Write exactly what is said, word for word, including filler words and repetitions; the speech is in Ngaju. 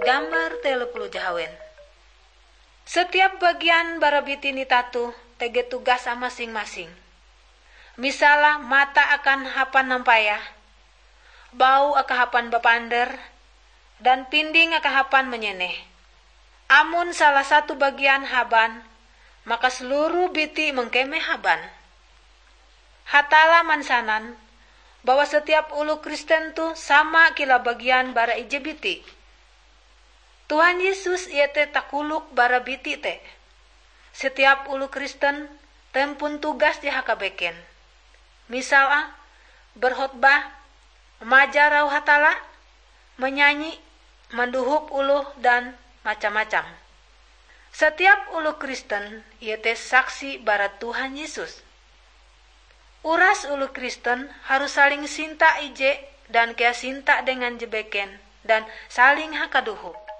Gambar telo puluh jahawen. Setiap bagian bara biti nitatu tege tugas masing-masing. Misala mata akan hapan nampayah, bau akahapan bapander, dan pinding akahapan manyeneh. Amon salah satu bagian haban, maka seluruh biti mengkeme haban. Hatalla mansanan bahwa setiap oloh Kristen toh sama kilau bagian bara ije biti. Tuhan Yesus iete takolok bara biti te. Setiap oloh Kristen tempon tugas je hakabeken. Misal ah, berkhotbah, majar auh Hatalla, manyanyi, mandohop oloh dan macam-macam. Setiap oloh Kristen iete saksi bara Tuhan Yesus. Uras oloh Kristen harus saling sinta ije dan kea sinta dengan je beken dan saling hakadohop.